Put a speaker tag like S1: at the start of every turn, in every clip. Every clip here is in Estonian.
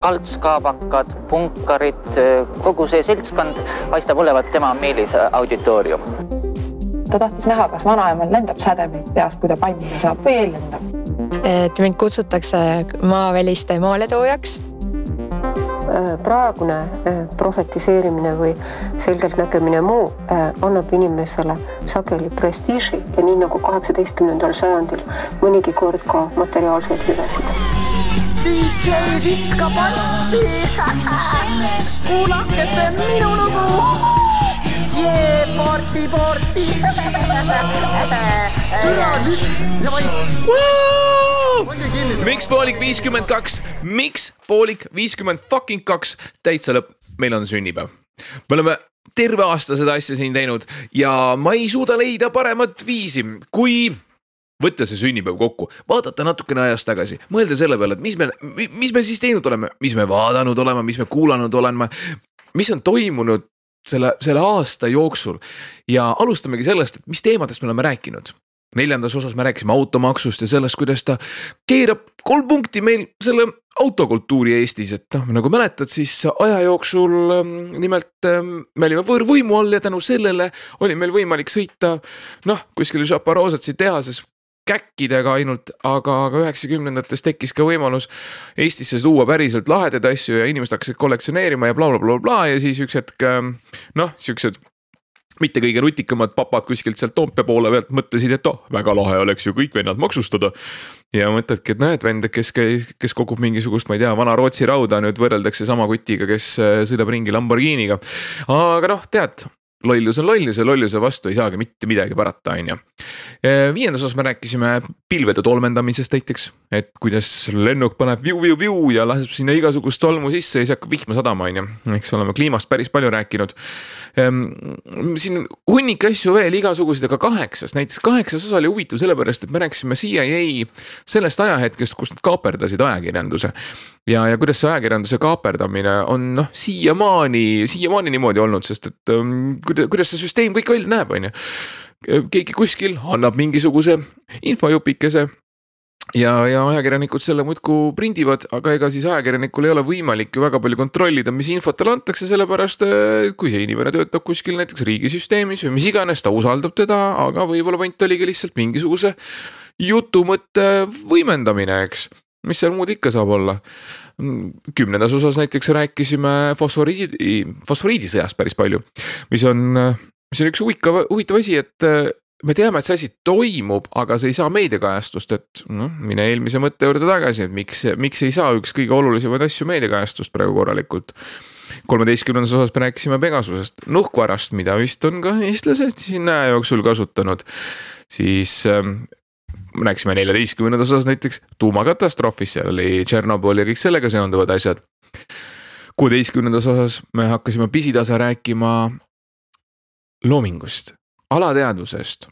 S1: Kaltskaabakad, punkarid, kogu see seltskond paistab olevat tema meelis auditoorium.
S2: Ta tahtis näha, kas vanaemal lendab sädemeid peast, kui ta pannina saab või ei lendab.
S3: Mind kutsutakse maaväliste maaletoojaks.
S4: Praegune profetiseerimine või selgelt nägemine muu annab inimesele sageli prestiiži ja nii nagu 18. sajandil mõnigi kord ka materiaalseid hüvesid.
S5: DJ viska patti, kuulake see minu lugu, porti.
S6: Miks poolik 52? Miks poolik 52? Täitsa lõpp, meil on sünnipäev. Me oleme terve aasta seda asja siin teinud ja ma ei suuda leida paremat viisi, kui võtta see sünnipäev kokku, vaadata natukene ajast tagasi, mõelda selle peale, et mis me siis teinud oleme, mis me vaadanud oleme, mis me kuulanud oleme, mis on toimunud selle aasta jooksul ja alustamegi sellest, et mis teemadest me oleme rääkinud. 4. osas me rääkisime automaksust ja sellest, kuidas ta keerab 3 punkti meil selle autokultuuri Eestis, et nagu mäletad, siis aja jooksul nimelt me olime võõrvõimu all ja tänu sellele oli meil võimalik sõita kuskil Žaparozatsi tehases käkkidega ainult, aga 90-ndates tekkis ka võimalus Eestisse tuua päriselt lahedaid asju ja inimesed hakkasid kollektsioneerima ja bla ja siis üks hetk, siuksed mitte kõige rutikamad papad kuskilt sealt Toompea poole pealt mõtlesid, et väga lahe oleks ju kõik vennad maksustada ja mõtledki, et näed vend, kes kogub mingisugust, ma ei tea, vana Rootsi rauda nüüd võrreldakse sama kutiga, kes sõidab ringi Lamborghiniga, aga tead, lollus on lollus ja lolluse vastu ei saagi mitte midagi parata, on ju. 5. osas me rääkisime pilvede tolmendamisest näiteks, et kuidas lennuk paneb viu ja laseb sinna igasugust tolmu sisse ja siis hakkab vihma sadama, on ju. Eks oleme kliimast päris palju rääkinud. Siin hunnik asju veel igasugused, aga 8. Näiteks 8. osa oli huvitav sellepärast, et me rääkisime CIA sellest ajahetkest, kus nad kaaperdasid ajakirjanduse. Ja kuidas see ajakirjanduse kaaperdamine on siiamaani niimoodi olnud, sest et kuidas see süsteem kõik välja näeb, on ju. Keegi kuskil annab mingisuguse infojupikese ja ajakirjanikud selle muudku prindivad, aga ega siis ajakirjanikul ei ole võimalik ju väga palju kontrollida, mis infot talle antakse, sellepärast kui see inimene töötab kuskil näiteks riigisüsteemis või mis iganes, ta usaldab teda, aga võib-olla point oligi lihtsalt mingisuguse jutumõtte võimendamine, eks. Mis seal muud ikka saab olla? 10. osas näiteks rääkisime fosforiidisõjast päris palju, mis on üks huvitav asi, et me teame, et see asi toimub, aga see ei saa meediakajastust, et mine eelmise mõtte juurde tagasi, et miks ei saa üks kõige olulisemaid asju meediakajastust praegu korralikult. 13. osas me rääkisime Pegasusest, nuhkvarast, mida vist on ka eestlased siin aja jooksul kasutanud, siis me rääkisime 14. osas näiteks tuumakatastroofis, seal oli Tšernobõl ja kõik sellega seonduvad asjad. 16. osas me hakkasime pisitasa rääkima loomingust, alateadvusest.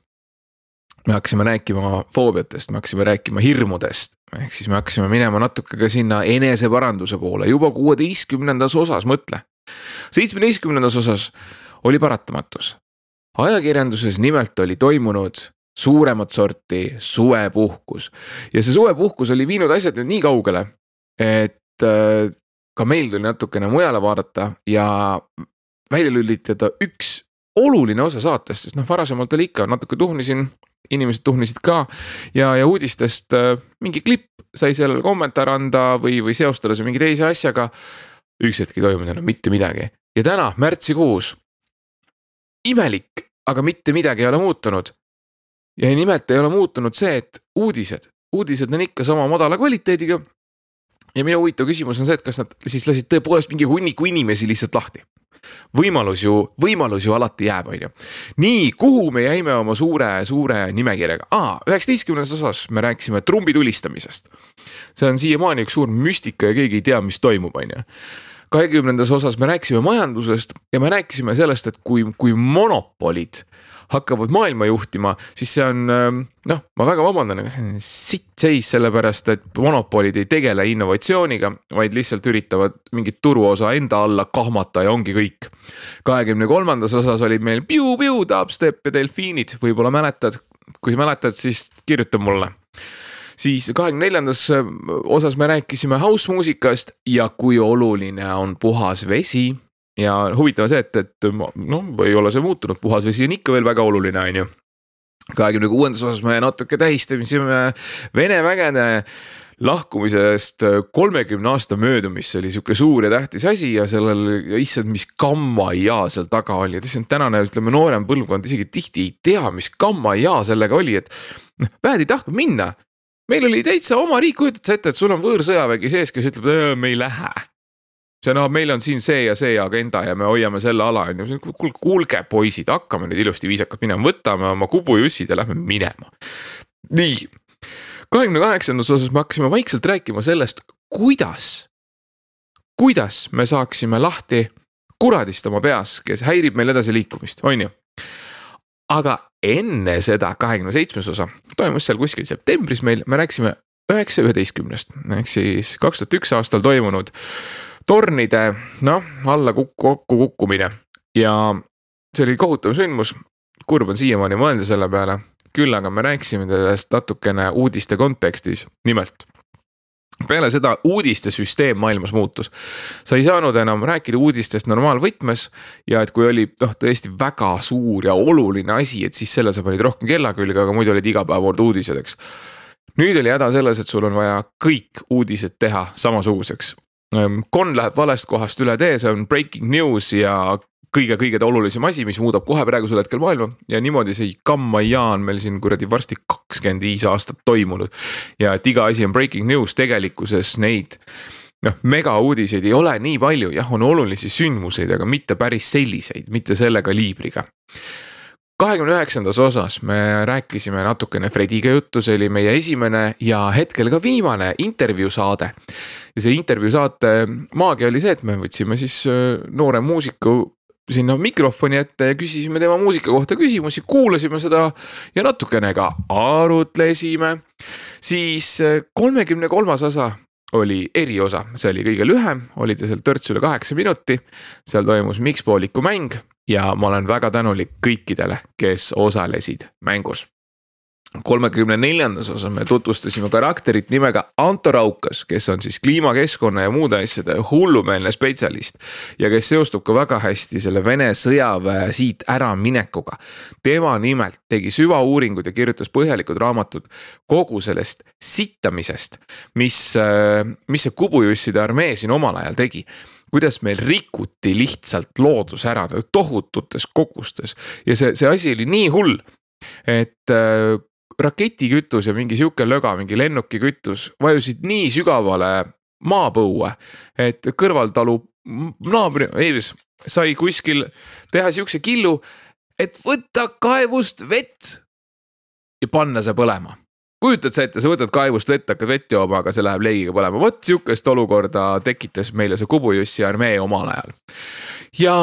S6: Me hakkasime rääkima foobiatest, me hakkasime rääkima hirmudest, ehk siis me hakkasime minema natuke ka sinna eneseparanduse poole, juba 16. osas mõtle. 17. osas oli paratamatus. Ajakirjanduses nimelt oli toimunud suuremat sorti suvepuhkus ja see suvepuhkus oli viinud asjad nüüd nii kaugele, et ka meil tuli natukene mujale vaadata ja välja lülitada üks oluline osa saatest, sest varasemalt oli ikka natuke tuhnisin, inimesed tuhnisid ka ja uudistest mingi klipp sai sellele kommentaar anda või seostada see mingi teise asjaga, üks hetki toimunud mitte midagi ja täna märtsikuus imelik, aga mitte midagi ei ole muutunud. Ja nimelt ei ole muutunud see, et uudised on ikka sama madala kvaliteediga ja minu huvitav küsimus on see, et kas nad siis lasid tõepoolest mingi hunniku inimesi lihtsalt lahti. Võimalus ju alati jääb, on ju. Nii, kuhu me jäime oma suure nimekirjaga? 19. osas me rääkisime trumbi tulistamisest. See on siiamaani üks suur müstika ja keegi ei tea, mis toimub, on ju. 20. osas me rääkisime majandusest ja me rääkisime sellest, et kui monopolid hakkavad maailma juhtima, siis see on, ma väga vabandan, aga see on sitt seis sellepärast, et monopolid ei tegele innovatsiooniga, vaid lihtsalt üritavad mingit turuosa enda alla kahmata ja ongi kõik. 23. osas oli meil piu, dubstep ja delfiinid, võib-olla mäletad, kui mäletad, siis kirjuta mulle. Siis 24. osas me rääkisime house-muusikast ja kui oluline on puhas vesi. Ja huvitav see, et ei ole see muutunud, puhas vesi on ikka veel väga oluline, on ju. 26. osas me natuke tähistamisime Vene vägede lahkumisest 30 aasta möödumist, see oli siuke suur ja tähtis asi ja sellel issand, mis gamma-jaa seal taga oli. Ja tänane, ütleme, noorem põlvkond isegi tihti ei tea, mis gamma-jaa sellega oli, et vähed ei tahtnud minna. Meil oli täitsa oma riik, kujutad sa ette, et sul on võõrsõjavägi sees, kes ütleb, et me ei lähe. See meil on siin see ja agenda ja me hoiame selle ala. Kuulge poisid, hakkame nüüd ilusti viisakalt minema, võtame oma kubujussid ja lähme minema. Nii, 28. osas me hakkasime vaikselt rääkima sellest, kuidas me saaksime lahti kuradist oma peas, kes häirib meil edasi liikumist, on ju. Aga enne seda 27. osa toimus seal kuskil septembris meil, me rääksime 9.11. Ehk siis 2001 aastal toimunud tornide, alla kokku kukkumine ja see oli kohutav sündmus, kurb on siiamaani mõelda selle peale, küll aga me rääksime sellest natukene uudiste kontekstis, nimelt. Peale seda uudiste süsteem maailmas muutus. Sa ei saanud enam rääkida uudistest normaalvõtmes ja et kui oli tõesti väga suur ja oluline asi, et siis selle sa panid rohkem kella külge, aga muidu olid iga päev olnud uudised, eks. Nüüd oli häda selles, et sul on vaja kõik uudised teha samasuguseks. Kon läheb valest kohast üle tee, see on breaking news ja kõige olulisem asi, mis muudab kohe praegusel hetkel maailma ja niimoodi see gamma-jaa on meil siin kuradi varsti 25 aastat toimunud ja et iga asi on breaking news, tegelikkuses neid mega uudiseid ei ole nii palju, jah on olulisi sündmuseid, aga mitte päris selliseid, mitte selle kaliibriga. 29. osas me rääkisime natukene Frediga juttu, see oli meie esimene ja hetkel ka viimane intervjuusaade. Ja see intervjuusaate maagia oli see, et me võtsime siis noore muusiku sinna mikrofoni ette ja küsisime tema muusika kohta küsimusi, kuulasime seda ja natukene ka arutlesime. Siis 33. osa oli eriosa, see oli kõige lühem, oli ta seal törts üle 8 minuti, seal toimus mikspooliku mäng ja ma olen väga tänulik kõikidele, kes osalesid mängus. 34. osas me tutvustasime karakterit nimega Anto Raukas, kes on siis kliimakeskkonna ja muude asjade hullumeelne spetsialist ja kes seostub ka väga hästi selle Vene sõjaväe siit ära minekuga. Tema nimelt tegi süvauuringud ja kirjutas põhjalikud raamatud kogu sellest sittamisest, mis see kubujusside armee siin omal ajal tegi. Kuidas meil rikuti lihtsalt loodus ära tohututes kogustes ja see asi oli nii hull, et raketikütus ja mingi siuke löga, mingi lennukikütus vajusid nii sügavale maapõue, et kõrvaltalu naabri Eiris sai kuskil teha siukse killu, et võtta kaevust vett ja panna see põlema. Kujutad sa ette, sa võtad kaevust vett, hakkad vett jooma, aga see läheb leigiga põlema. Võt siukest olukorda tekitas meile see kubujussi armee omal ajal. Ja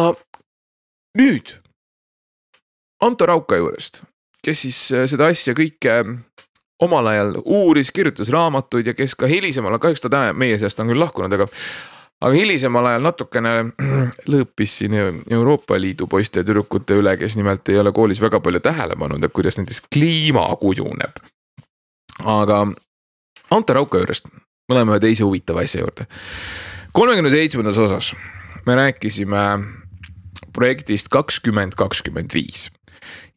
S6: nüüd Anto Rauka juurest, kes siis seda asja kõike omal ajal uuris, kirjutas raamatuid ja kes ka hilisemal, kahjuks ta meie seast on küll lahkunud, aga hilisemal ajal natukene lõõpis siin Euroopa Liidu poiste ja tüdrukute üle, kes nimelt ei ole koolis väga palju tähele pannud, et kuidas näiteks kliima kujuneb. Aga Anto Rauka juurest me oleme ühe teise huvitava asja juurde. 37. osas me rääkisime projektist 2025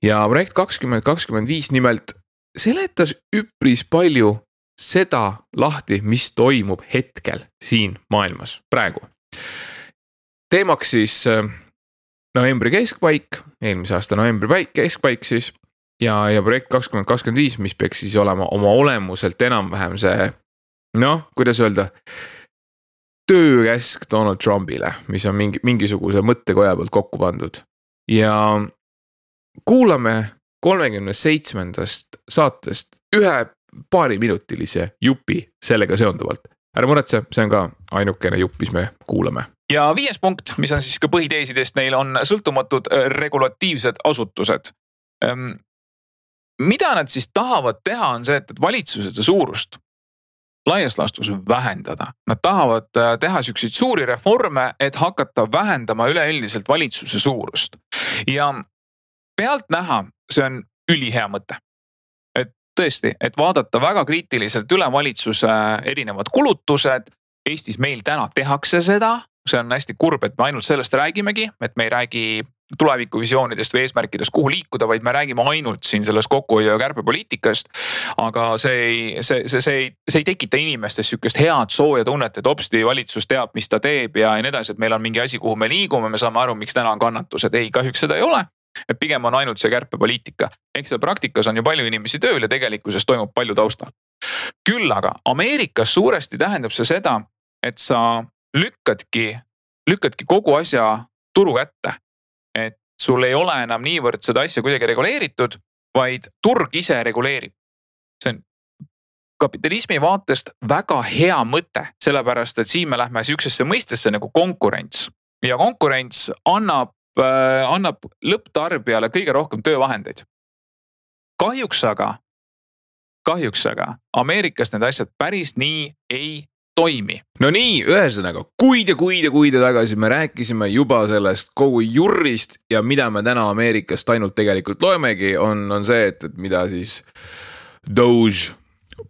S6: ja projekt 2025 nimelt seletas üpris palju seda lahti, mis toimub hetkel siin maailmas praegu. Teemaks siis novembri keskpaik, eelmise aasta novembri keskpaik siis ja projekt 2025, mis peaks siis olema oma olemuselt enam-vähem see, kuidas öelda, töökäsk Donald Trumpile, mis on mingisuguse mõttekoja pealt kokku pandud. Ja kuulame 37. saatest ühe paariminutilise jupi sellega seonduvalt. Ära muretse, see on ka ainukene jupp, mis me kuulame.
S7: Ja 5. punkt, mis on siis ka põhiteesidest, neil on sõltumatud regulatiivsed asutused. Mida nad siis tahavad teha on see, et valitsused suurust laias laastus vähendada. Nad tahavad teha selliseid suuri reforme, et hakata vähendama üleüldiselt valitsuse suurust. Ja pealt näha, see on ülihea mõte. Et tõesti, et vaadata väga kriitiliselt üle valitsuse erinevad kulutused. Eestis meil täna tehakse seda, see on hästi kurb, et me ainult sellest räägimegi, et me ei räägi tulevikuvisioonidest või eesmärkidest, kuhu liikuda, vaid me räägime ainult siin sellest kokkuhoiu ja kärpepoliitikast. Aga see ei tekita inimestes sükest head sooja tunnet, et hopsti valitsus teab, mis ta teeb ja nii edasi, et meil on mingi asi, kuhu me liigume, me saame aru, miks täna on kannatused. Ei, kahjuks seda ei ole, et pigem on ainult see kärpepoliitika. Ehk seda praktikas on ju palju inimesi tööl ja tegelikkuses toimub palju taustal. Küll aga Ameerikas suuresti tähendab see seda, et sa lükkadki kogu asja turu kätte. Et sul ei ole enam niivõrd seda asja kuidagi reguleeritud, vaid turg ise reguleerib. See on kapitalismi vaatest väga hea mõte, sellepärast et siin me lähme sihukesesse mõistesse nagu konkurents. Ja konkurents annab lõpptarbijale kõige rohkem töövahendeid. Kahjuks aga Ameerikas need asjad päris nii ei toimi.
S6: No nii, ühesõnaga, kuid ja tagasi me rääkisime juba sellest kogu jurrist ja mida me täna Ameerikast ainult tegelikult loemegi, on see, et mida siis Doge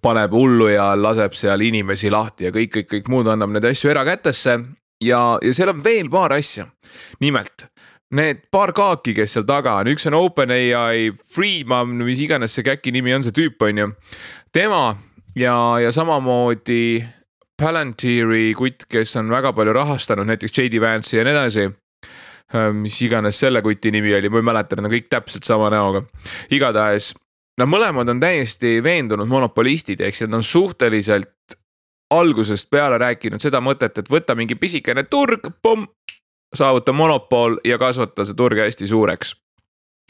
S6: paneb hullu ja laseb seal inimesi lahti ja kõik muud annab need asju erakätesse ja seal on veel paar asja. Nimelt, need paar kaaki, kes seal taga on, üks on OpenAI, Friedman, mis iganes see käki nimi on, see tüüp on ju, tema ja samamoodi Palantieri kutt, kes on väga palju rahastanud, näiteks J.D. Vance'i ja nii edasi, mis iganes selle kuti nimi oli, ma ei mäleta, nad on kõik täpselt sama näoga. Igatahes, nad mõlemad on täiesti veendunud monopolistid, ehk nad on suhteliselt algusest peale rääkinud seda mõtet, et võtta mingi pisikene turg, saavuta monopol ja kasvata see turg hästi suureks.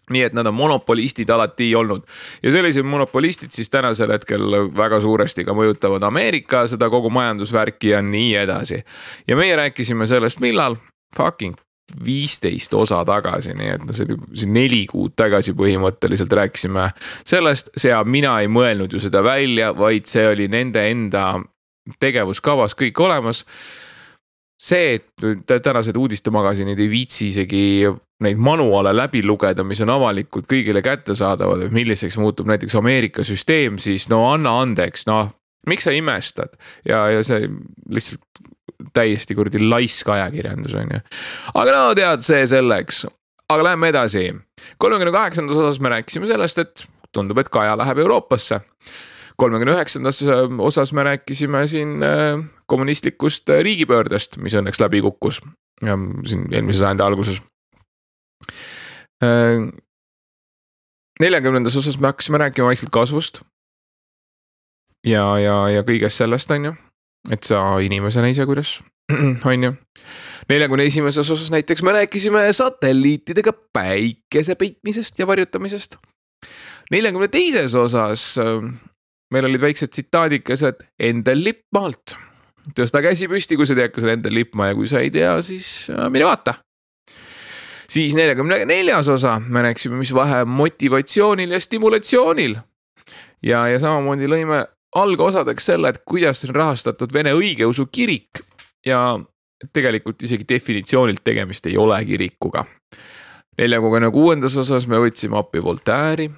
S6: Nii et nad on monopolistid alati olnud. Ja sellised monopolistid siis tänasel hetkel väga suuresti ka mõjutavad Ameerika, seda kogu majandusvärki ja nii edasi. Ja meie rääkisime sellest millal? Fucking 15 osa tagasi, nii et see 4 kuud tagasi põhimõtteliselt rääkisime sellest. Mina ei mõelnud ju seda välja, vaid see oli nende enda tegevuskavas kõik olemas. See, et tänased uudistemagasinid ei viitsi isegi neid manuale läbi lugeda, mis on avalikult kõigile kättesaadavad, et milliseks muutub näiteks Ameerika süsteem, siis no anna andeks, miks sa imestad? Ja see lihtsalt täiesti kurdi laisk ajakirjandus on ju. Aga tead see selleks. Aga läheme edasi. 38. osas me rääkisime sellest, et tundub, et Kaja läheb Euroopasse. 39. osas me rääkisime siin kommunistlikust riigipöördest, mis õnneks läbi kukkus siin eelmise sajandi alguses. 40. osas me hakkasime rääkima vaikselt kasvust ja kõigest sellest on ju, et sa inimesena ise kuidas on ju. 41. osas näiteks me rääkisime satelliitidega päikese peitmisest ja varjutamisest. 42. osas meil olid väiksed tsitaadikesed Endel Lippmaalt. Tõsta käsi püsti, kui sa tead, kas on Endel Lippmaa ja kui sa ei tea, siis mine vaata. Siis 44. osa me rääksime, mis vahe motivatsioonil ja stimulatsioonil. Ja samamoodi lõime algosadeks selle, et kuidas on rahastatud Vene õigeusu kirik ja tegelikult isegi definitsioonilt tegemist ei ole kirikuga. 46. osas me võtsime appi Voltaire'i.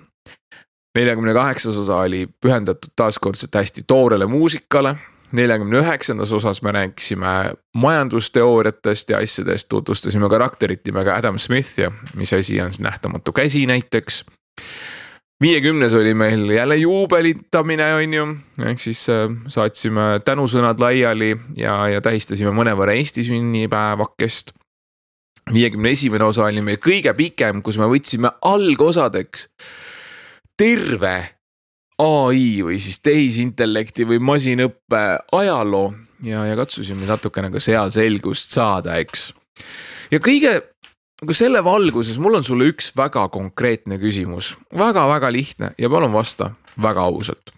S6: 48. osa oli pühendatud taaskordselt hästi toorele muusikale. 49. osas me rääkisime majandusteooriatest ja asjadest, tutvustasime karakterit nimega Adam Smith ja mis asi on nähtamatu käsi näiteks. 50. oli meil jälle juubelitamine on ju, ehk siis saatsime tänusõnad laiali ja tähistasime mõnevõrra Eesti sünnipäevakest. 51. osa oli meil kõige pikem, kus me võtsime algosadeks terve AI või siis tehisintellekti või masinõppe ajaloo ja katsusime natukene ka seal selgust saada, eks. Ja kõige selle valguses mul on sulle üks väga konkreetne küsimus, väga lihtne ja palun vasta väga ausalt.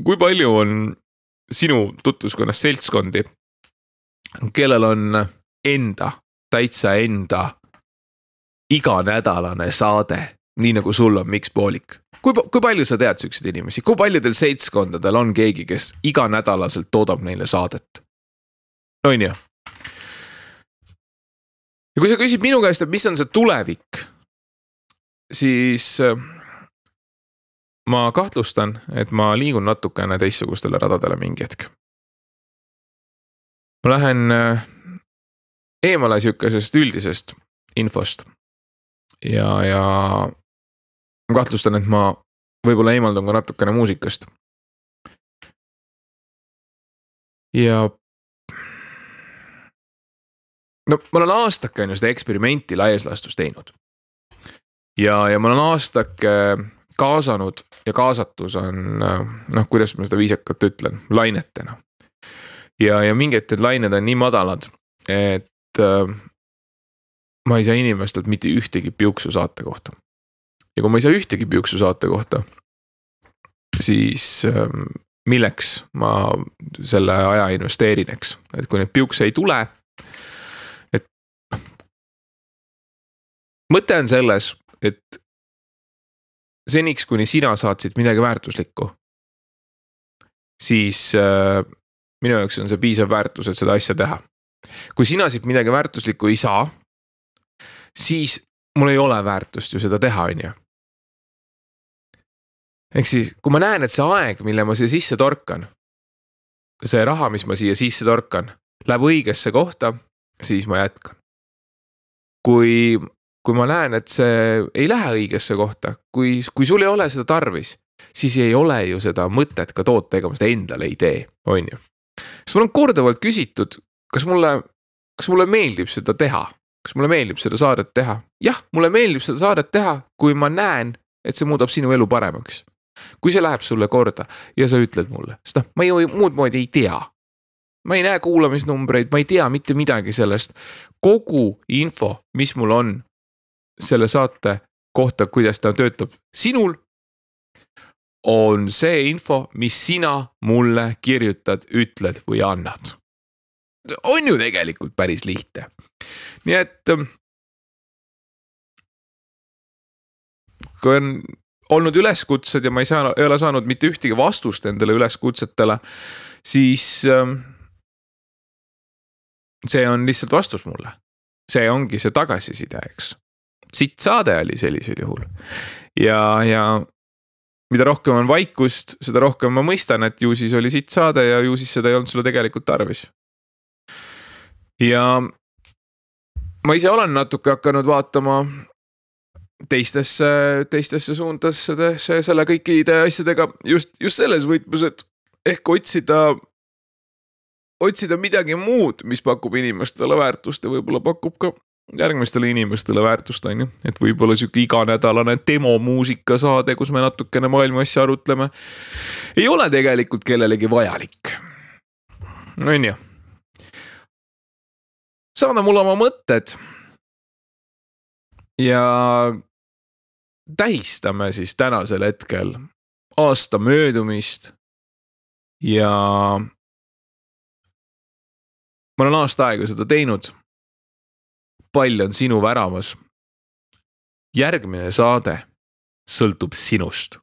S6: Kui palju on sinu tutvuskonnas seltskondi, kellel on täitsa enda iganädalane saade, nii nagu sul on Miks Poolik? Kui palju sa tead sükseid inimesi? Kui paljudel seltskondadel on keegi, kes iganädalaselt toodab neile saadet? No on ju. Ja kui sa küsid minu käest, et mis on see tulevik, siis ma kahtlustan, et ma liigun natukene teistsugustele radadele mingi hetk. Ma lähen eemale sükesest üldisest infost ja ma kahtlustan, et ma võib-olla eemaldun ka natukene muusikast. Ja no ma olen aastake on ju seda eksperimenti laieslastus teinud. Ja ma olen aastake kaasanud ja kaasatus on, kuidas ma seda viisakalt ütlen, lainetena. Ja mingid lained on nii madalad, et ma ei saa inimestelt mitte ühtegi piuksu saate kohta. Ja kui ma ei saa ühtegi piuksu saate kohta, siis milleks ma selle aja investeerin, eks. Et kui need piukse ei tule, et mõte on selles, et seniks, kuni sina saatsid midagi väärtuslikku, siis minu jaoks on see piisav väärtus, et seda asja teha. Kui sina siit midagi väärtuslikku ei saa, siis mul ei ole väärtust ju seda teha, on ju. Ehk siis, kui ma näen, et see aeg, mille ma siia sisse torkan, see raha, mis ma siia sisse torkan, läheb õigesse kohta, siis ma jätkan. Kui ma näen, et see ei lähe õigesse kohta, kui sul ei ole seda tarvis, siis ei ole ju seda mõtet ka toota ega ma seda endale ei tee, on ju. Kas mul on korduvalt küsitud, kas mulle meeldib seda teha? Kas mulle meeldib seda saadet teha? Jah, mulle meeldib seda saadet teha, kui ma näen, et see muudab sinu elu paremaks. Kui see läheb sulle korda ja sa ütled mulle, sest ma ju muud moodi ei tea. Ma ei näe kuulamisnumbreid, ma ei tea mitte midagi sellest. Kogu info, mis mul on selle saate kohta, kuidas ta töötab sinul, on see info, mis sina mulle kirjutad, ütled või annad. On ju tegelikult päris lihtne. Nii et kui on olnud üleskutsed ja ma ei ole saanud mitte ühtegi vastust endale üleskutsetele, siis see on lihtsalt vastus mulle. See ongi see tagasiside, eks. Siit saade oli sellisel juhul. Ja mida rohkem on vaikust, seda rohkem ma mõistan, et ju siis oli siit saade ja ju siis seda ei olnud sulle tegelikult tarvis. Ja ma ise olen natuke hakanud vaatama teistesse suundadesse selle kõikide asjadega just selles võtmes, et ehk otsida midagi muud, mis pakub inimestele väärtust ja võib-olla pakub ka järgmistele inimestele väärtust, on ju. Et võib-olla siuke iganädalane demomuusika saade, kus me natukene maailma asja arutleme, ei ole tegelikult kellelegi vajalik. On ju. Saada mulle oma mõtted ja tähistame siis tänasel hetkel aasta möödumist ja ma olen aasta aega seda teinud. Pall on sinu väravas. Järgmine saade sõltub sinust.